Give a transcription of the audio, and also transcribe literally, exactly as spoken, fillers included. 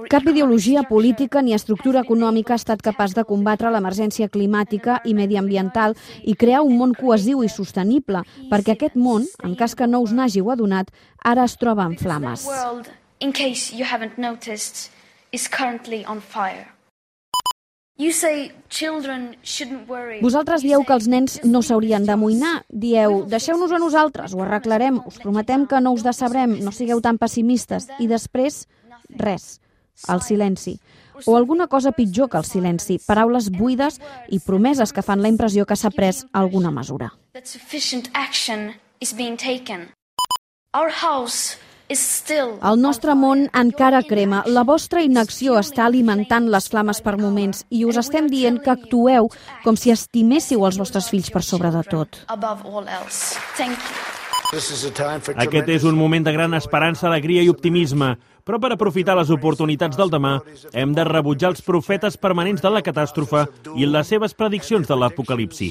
Cap ideologia política ni estructura econòmica ha estat capaç de combatre l'emergència climàtica i mediambiental i crear un món cohesiu i sostenible, perquè aquest món, en cas que no us n'hàgiu adonat, ara es troba en flames. Vosaltres dieu que els nens no s'haurien d'amoïnar. Dieu, deixeu-nos a nosaltres, ho arreglarem, us prometem que no us decebrem, no sigueu tan pessimistes. I després, res, el silenci. O alguna cosa pitjor que el silenci, paraules buides i promeses que fan la impressió que s'ha pres alguna mesura. El nostre món encara crema. La vostra inacció està alimentant les flames per moments i us estem dient que actueu com si estiméssiu els vostres fills per sobre de tot. Aquest és un moment de gran esperança, alegria i optimisme, però per aprofitar les oportunitats del demà hem de rebutjar els profetes permanents de la catàstrofe i les seves prediccions de l'apocalipsi.